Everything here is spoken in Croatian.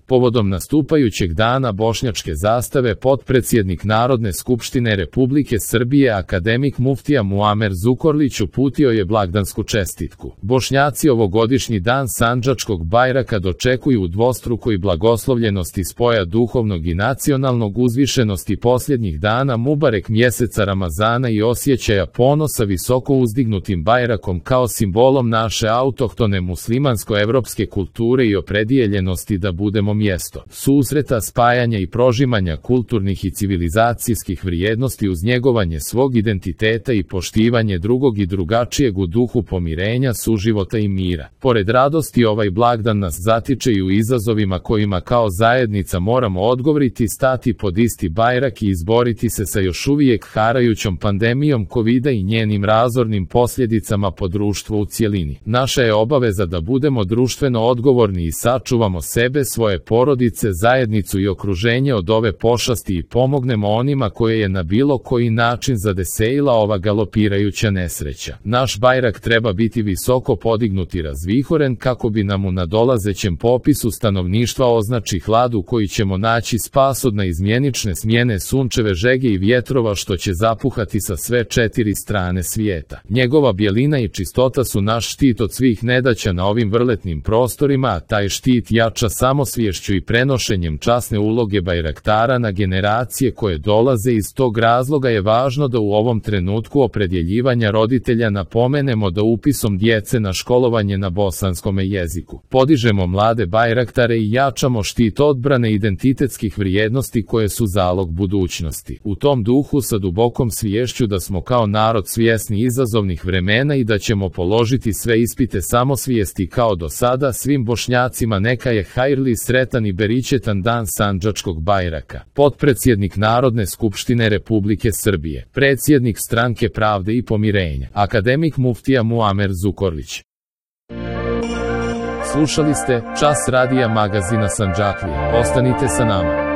Povodom nastupajućeg dana bošnjačke zastave potpredsjednik Narodne skupštine Republike Srbije akademik muftija Muamer Zukorlić uputio je blagdansku čestitku. Bošnjaci ovogodišnji dan sandžačkog Bajraka dočekuju u dvostrukoj blagoslovljenosti spoja duhovnog i nacionalnog, uzvišenosti posljednjih dana Mubarek mjeseca Ramazana i osjećaja ponosa visoko uzdignutim Bajrakom kao simbolom naše autohtone muslimansko-evropske kulture i opredijeljenosti da budemo mjesto susreta, spajanja i prožimanja kulturnih i civilizacijskih vrijednosti uz njegovanje svog identiteta i poštivanje drugog i drugačijeg u duhu pomirenja, suživota i mira. Pored radosti, ovaj blagdan nas zatiče i u izazovima kojima kao zajednica moramo odgovoriti, stati pod isti Bajrak i izboriti se sa još uvijek harajućom pandemijom Kovida i njenim razornim posljedicama po društvu u cjelini. Naša je obaveza da budemo društveno odgovorni i sačuvamo sebe, svoje porodice, zajednicu i okruženje od ove pošasti i pomognemo onima koje je na bilo koji način zadesila ova galopirajuća nesreća. Naš Bajrak treba biti visoko podignut i razvihoren kako bi nam u nadolazećem popisu stanovništva označi hlad u koji ćemo naći spas od naizmjenične smjene sunčeve žege i vjetrova što će zapuhati sa sve četiri strane svijeta. Njegova bjelina i čistota su naš štit od svih nedaća na ovim vrletnim prostorima, a taj štit jača samosviješću i prenošenjem časne uloge bajraktara na generacije koje dolaze. Iz tog razloga je važno da u ovom trenutku opredjeljivanja roditelja napomenemo da upisom djece na školovanje na bosanskome jeziku podižemo mlade bajraktare i jačamo štit odbrane identitetskih vrijednosti koje su zalog budućnosti. U tom duhu, sa dubokom sviješću da smo kao narod svjesni izazovnih vremena i da ćemo položiti sve ispite samosvijesti kao do sada, svim Bošnjacima neka je hajrli, sretan i beričetan dan sandžačkog Bajraka. Potpredsjednik Narodne skupštine Republike Srbije, predsjednik Stranke pravde i pomirenja, akademik muftija Muamer Zukorlić. Slušali ste Čas radija magazina Sandžaklija. Ostanite sa nama.